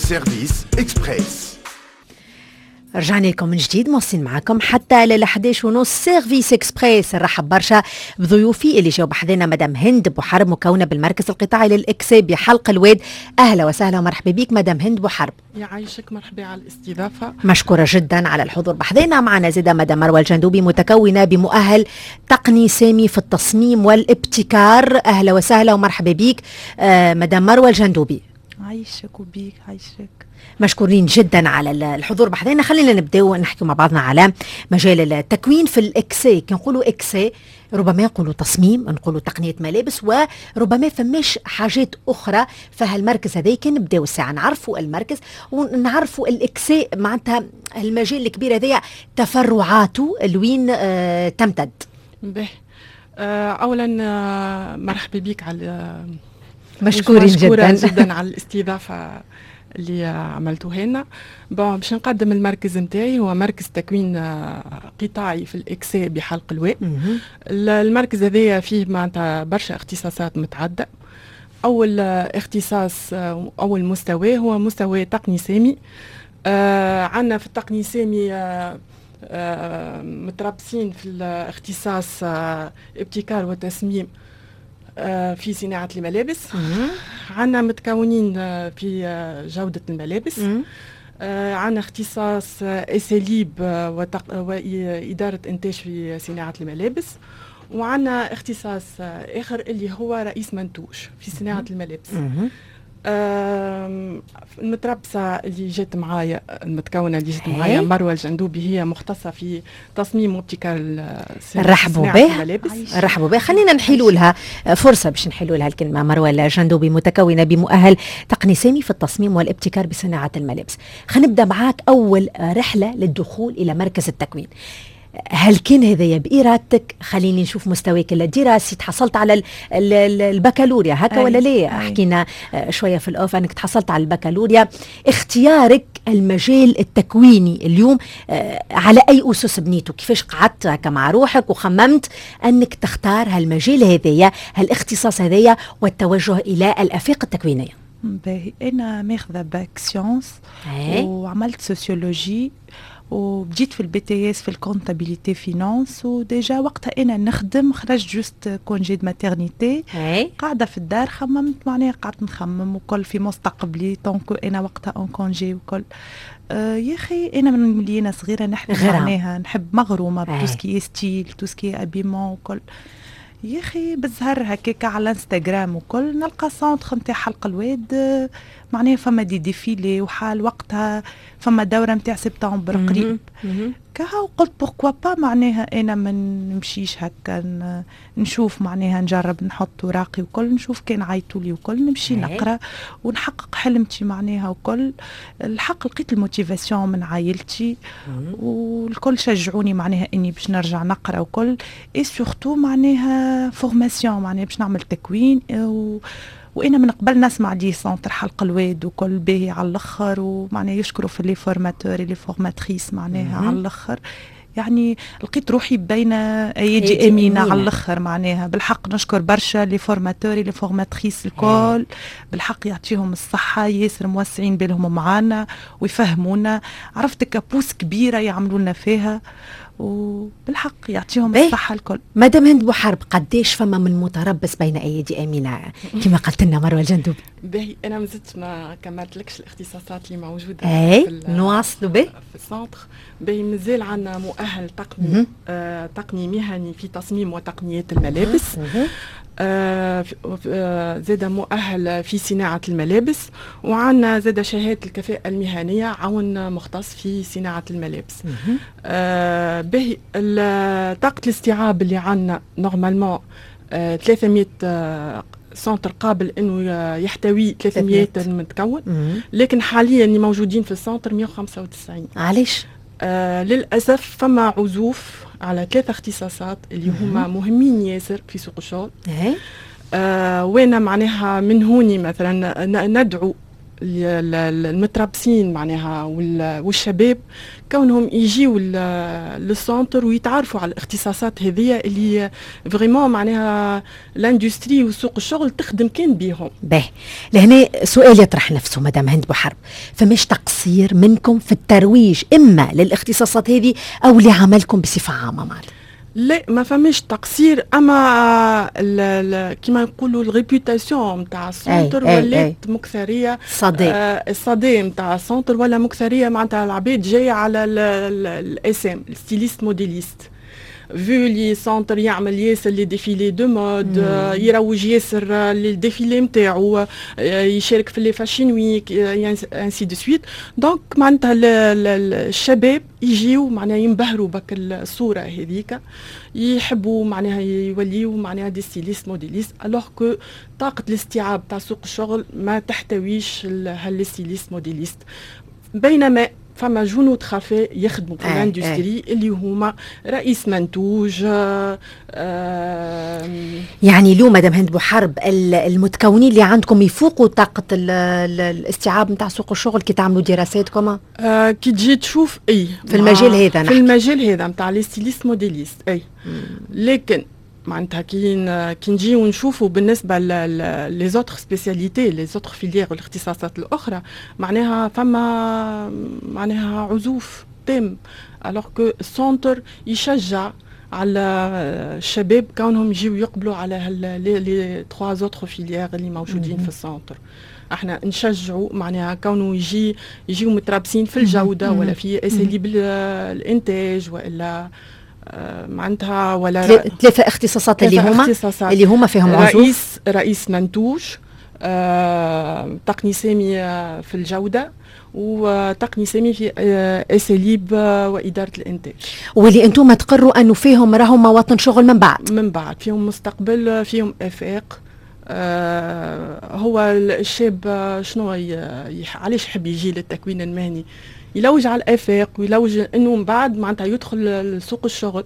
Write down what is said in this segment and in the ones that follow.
Service Express. رجعنا لكم من جديد، مواصلين معكم حتى لل 11:30 service express. نرحب برشا بضيوفي اللي جاوا بحذنا، مدام هند بوحرب، مكونة بالمركز القطاعي للاكساء بحلق الواد. اهلا وسهلا ومرحبا بك مدام هند بوحرب. يعيشك، مرحبا على الاستضافه. مشكورة جدا على الحضور بحذنا. معنا زيدا مدام مروه الجندوبي، متكونه بمؤهل تقني سامي في التصميم والابتكار. اهلا وسهلا ومرحبا بك مدام مروه الجندوبي. عايشك وبيك، عايشك. مشكورين جدا على الحضور بحذانا. خلينا نبداو نحكي مع بعضنا على مجال التكوين في الاكساء. كي نقولوا اكساء ربما نقولوا تصميم، نقولوا تقنية ملابس، وربما فماش حاجات اخرى. فهالمركز هذا كان نبداو الساعة نعرفوا المركز ونعرفوا الاكساء، معناتها المجال الكبير هذايا تفرعاته لوين تمتد. به اولا مرحبا بك على مشكورين جدا. جدا على الاستضافة اللي عملتوها لنا. bon، باش نقدم المركز نتاعي، هو مركز تكوين قطاعي في الاكساء بحلق الواد. المركز هذايا فيه معناتها برشا اختصاصات متعدده. اول اختصاص، اول مستوى هو مستوى تقني سامي. عندنا في التقني سامي متربصين في الاختصاص ابتكار وتصميم في صناعة الملابس، عندنا متكونين في جودة الملابس، عندنا اختصاص أساليب وإدارة إنتاج في صناعة الملابس، وعندنا اختصاص آخر اللي هو رئيس منتوج في صناعة الملابس. المتربصة اللي جات معايا، المتكونة اللي جات معايا، مروة الجندوبي، هي مختصة في تصميم وابتكار رحبوا به، رحبوا به. خلينا نحيلوا لها فرصة باش نحيلوا لها الكلمة. مروة الجندوبي، متكونة بمؤهل تقني سامي في التصميم والابتكار بصناعة الملابس. خلينا نبدأ معاك أول رحلة للدخول إلى مركز التكوين، هل كان هذايا بإرادتك؟ خليني نشوف مستواك الدراسي، تحصلت على البكالوريا هكا ولا لا؟ حكينا شوية في ال off أنك تحصلت على البكالوريا. اختيارك المجال التكويني اليوم على أي أسس بنيته؟ كيفاش قعدت هكا مع روحك وخممت أنك تختار هالمجال هذايا، هالاختصاص هذايا، والتوجه إلى الآفاق التكوينية؟ باهي، أنا ماخذة bac sciences وعملت sociologie وبديت في ال BTS في ال comptabilité finance، و déjà وقتها انا نخدم، خرجت juste congé de maternité، قاعدة في الدار، خممت معناها قعدت نخمم وكل في مستقبلي donc انا وقتها en congé وكل. يا اخي انا من ملي انا صغيرة نحب معناها نحب، مغرومه ب tout ce qui est style، tout ce qui est habillement وكل. يا اخي بالزهر هكاك على الانستغرام وكل نلقى centre نتاع حلق الواد، معناها فما des défilés وحال وقتها فما دوره نتاع سبتمبر قريب كها، وقلت pourquoi pas معناها انا ما نمشيش هكا نشوف، معناها نجرب نحط وراقي وكل، نشوف كان عيطوا لي وكل نمشي نقرا ونحقق حلمتي معناها وكل. الحق لقيت ال motivation من عائلتي والكل شجعوني معناها اني باش نرجع نقرا وكل، et surtout معناها formation، معناها باش نعمل تكوين. وانا من قبل نسمع des centres حلق الواد وكل باهي على الاخر، ومعناها يشكروا في les formateurs، les formatrices معناها على الاخر. يعني لقيت روحي بين ايادي امينه على الاخر معناها. بالحق نشكر برشا les formateurs، les formatrices الكل، بالحق يعطيهم الصحه، ياسر موسعين بالهم معانا ويفهمونا، عرفت كابوس كبيرة يعملوا لنا فيها، وبالحق يعطيهم الصحة الكل. مدام هند بوحرب، قديش فما من متربص بين ايادي امينه كما قالت لنا مروه الجندوبي؟ باهي، انا مازلت ما كملتلكش الاختصاصات اللي موجودة اي، نواصلوا به. في ال centre. باهي، مازال عندنا مؤهل تقني تقني مهني في تصميم وتقنيات الملابس، زاد مؤهل في صناعة الملابس، وعندنا زاد شهادة الكفاءة المهنية عون مختص في صناعة الملابس. به طاقة الاستيعاب اللي عندنا normalement 300، centre قابل انه يحتوي 300 متكون، لكن حاليا اللي موجودين في ال centre 195. علاش؟ للاسف فما عزوف على ثلاثة اختصاصات اللي هما مهمين ياسر في سوق الشغل. وانا معناها من هوني مثلا ندعو المتربصين معناها والشباب كونهم يجيو لل centre ويتعرفوا على الاختصاصات هذه اللي vraiment معناها l'industrie وسوق الشغل تخدم كان بيهم. باهي، لهنا سؤال يطرح نفسه مدام هند بوحرب، فمش تقصير منكم في الترويج اما للاختصاصات هذه او لعملكم بصفة عامة معناتها؟ لا، ما فماش تقصير، اما كيما نقولوا ال réputation نتاع ال centre ولات مكثريه. صدى. الصدى نتاع ال centre ولا مكثريه، معناتها العباد جاية على ال SM، ال styliste modéliste، vu le centre يعمل ياسر les défilés de mode، يروج ياسر les défilés نتاعو، يشارك في les fashion week، ainsi de suite. donc معناتها الشباب يجيو معناها ينبهروا بك الصورة هذيك، يحبوا معناها يوليو معناها des stylistes modélistes، alors que طاقة الاستيعاب تاع سوق الشغل ما تحتويش هال stylistes modélistes، بينما فما جنود خفاء يخدموا في l'industrie اللي هما رئيس منتوج. يعني اليوم مدام هند بوحرب، المتكونين اللي عندكم يفوقوا طاقة الاستيعاب نتاع سوق الشغل كي تعملوا دراساتكم؟ كي تجي تشوف اي. في المجال هذا. في المجال هذا نتاع les stylistes modélistes اي، لكن معناتها كي نجيو نشوفوا بالنسبة les autres spécialités، les autres filières والاختصاصات الاخرى، معناها فما معناها عزوف تام، alors que ال centre يشجع على الشباب كونهم يجيو يقبلوا على les trois autres filières اللي موجودين في ال centre. احنا نشجعوا معناها كونه يجيو متربصين في الجودة ولا في اساليب الانتاج والا معناتها ولا ثلاثة اختصاصات اللي هما فيهم عزوف: رئيس منتوج، تقني سامي في الجودة، وتقني سامي في اساليب واداره الانتاج. واللي انتم تقروا انه فيهم راهم مواطن شغل من بعد. من بعد فيهم مستقبل، فيهم افاق. هو الشاب شنو علاش يحب يجي للتكوين المهني؟ يلوج على الافاق ويلوج انه من بعد معناتها يدخل لسوق الشغل.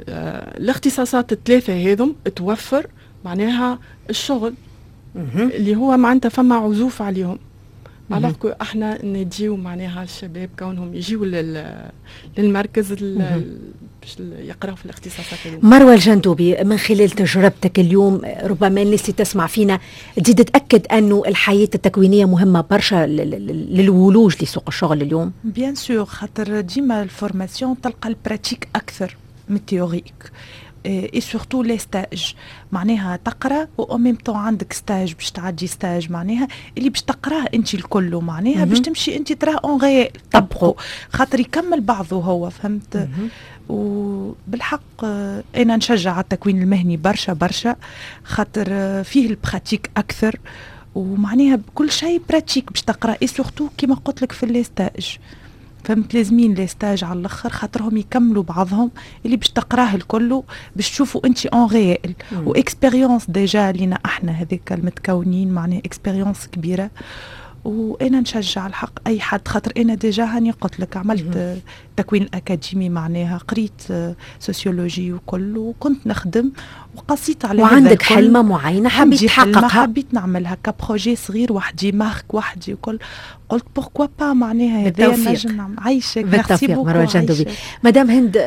الاختصاصات الثلاثة هذم توفر معناها الشغل اللي هو معناتها فما عزوف عليهم، alors que احنا نديو معناها الشباب كونهم يجيو للمركز باش يقراوا في الاختصاصات. مروه الجندوبي، من خلال تجربتك اليوم، ربما الناس اللي تسمع فينا تزيد تتاكد انه الحياة التكوينيه مهمة برشا للولوج لسوق الشغل اليوم. bien sûr، خاطر ديما ال formation تلقى ال pratique اكثر من ال théorique et surtout les stages، معناها تقرا و en même temps عندك stage باش تعدي stage، معناها اللي باش تقراه انت الكل معناها باش تمشي انت تراه en réel طبقه، خاطر يكمل بعضه هو، فهمت؟ وبالحق انا نشجع على التكوين المهني برشا برشا، خاطر فيه ال pratique اكثر، ومعناها كل شيء pratique باش تقرا، et surtout كيما قلت لك في les stages، فهمت؟ لازمين les stages على الاخر خاطرهم يكملوا بعضهم، اللي باش تقراه الكل باش تشوفوا انت en réel، و expérience déjà لينا احنا هذيك المتكونين، معناها expérience كبيره. وانا نشجع الحق اي حد، خاطر انا déjà هاني قلت لك عملت تكوين اكاديمي، معناها قريت sociologie وكل، وكنت نخدم وقصيت على وعندك حلمه معينة حبيت تحققها. حبيت نعملها ك projet صغير وحدي، marque وحدي وكل، قلت pourquoi pas معناها هذا نجم نعمل. عايشك. بالتوفيق مروه الجندوبي. مدام هند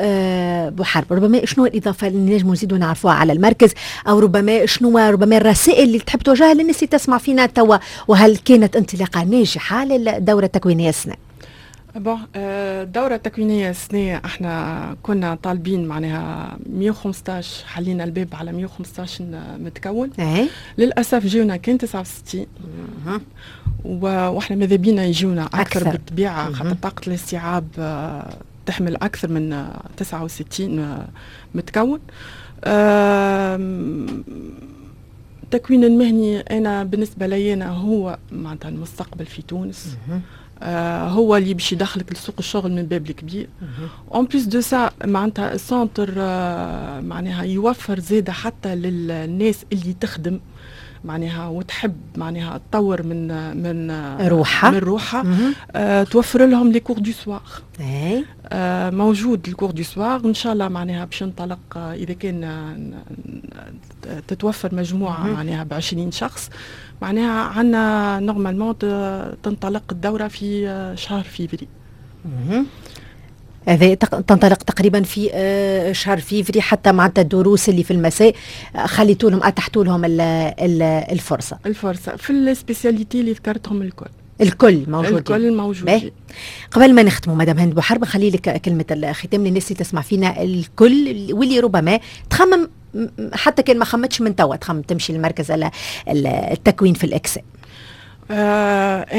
بوحرب، ربما شنو الاضافة اللي نجموا نزيدوا نعرفوها على المركز، او ربما شنو ربما الرسائل اللي تحب توجهها للناس اللي تسمع فينا توا، وهل كانت انطلاقة ناجحة للدورة التكوينيه السنة؟ bon، الدورة التكوينية السنة احنا كنا طالبين معناها 115، حلينا الباب على 115 متكون. للأسف جيونا كان 69، واحنا ماذا بينا يجونا أكثر بالطبيعة، خاطر طاقة الاستيعاب تحمل أكثر من 69 متكون. التكوين المهني أنا بالنسبة لي أنا هو معناتها المستقبل في تونس. هو اللي باش يدخلك لسوق الشغل من باب الكبير. en plus de ça معناتها ال centre معناها يوفر زاده حتى للناس اللي تخدم معناها وتحب معناها تطور من روحها. من روحها، توفر لهم les cours du soir. موجود ال cours du soir، ان شاء الله معناها باش ينطلق اذا كان تتوفر مجموعة معناها ب 20 شخص. معناها عندنا normalement تنطلق الدورة في شهر فيفري. هذا تنطلق تقريبا في شهر فيفري، حتى معناتها الدروس اللي في المساء خليتوا لهم، اتحتوا لهم الفرصه. الفرصة في ال spécialités اللي ذكرتهم الكل. الكل موجودين. الكل موجودين. قبل ما نختموا مدام هند بوحرب، خلي لك كلمة الختام للناس اللي تسمع فينا الكل واللي ربما تخمم، حتى كان ما خمتش من توا، تخمم تمشي للمركز التكوين في الاكساء.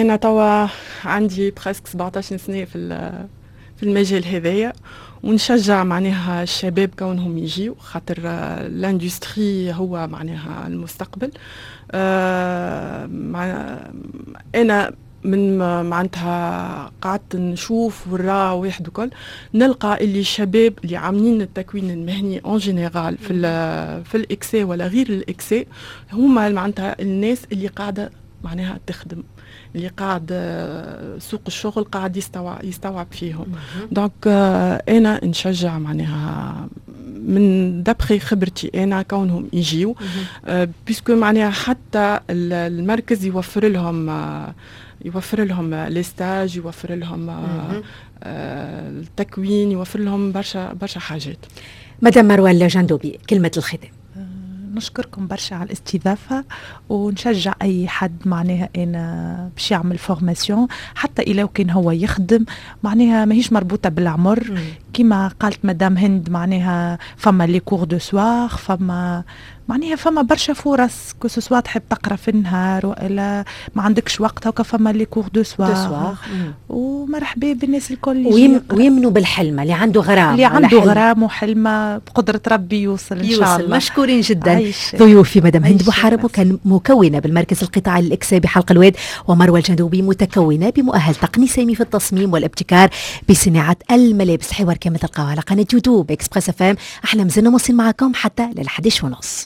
انا توا عندي presque 17 سنة في المجال هذايا، ونشجع معناها الشباب كونهم يجيو، خاطر l'industrie هو معناها المستقبل. انا من معناتها قعدت نشوف ورا واحد وكل، نلقى اللي الشباب اللي عاملين التكوين المهني en général في الاكسي ولا غير الاكسي، هما معناتها الناس اللي قاعدة معناها تخدم، اللي قاعد سوق الشغل قاعد يستوعب فيهم. donc انا نشجع معناها من d'après خبرتي انا كونهم يجيو، puisque معناها حتى المركز يوفر لهم les stages، يوفر لهم التكوين، يوفر لهم برشا برشا حاجات. مدام مروه الجندوبي، كلمة الختام. نشكركم برشا على الاستضافة، ونشجع أي حد معناها أنا باش يعمل formation، حتى إلى كان هو يخدم، معناها ماهيش مربوطة بالعمر. كما قالت مدام هند، معناها فما les cours du soir، فما معناها فما برشا فرص، que ce soit تحب تقرا في النهار والا ما عندكش وقت، هكا فما les cours du soir. ومرحبا بالناس الكل. ويمنوا بالحلمه، اللي عنده غرام. اللي عنده غرام وحلمه، بقدره ربي يوصل ان شاء الله. مشكورين جدا ضيوفي، مدام هند بوحارب وكان مكونة بالمركز القطاعي للاكساء بحلق الواد، ومروه الجندوبي متكونه بمؤهل تقني سامي في التصميم والابتكار بصناعة الملابس. حوار كما تلقاوه على قناة يوتيوب Express FM. احنا مازلنا مواصلين معكم حتى لل 11 ونص.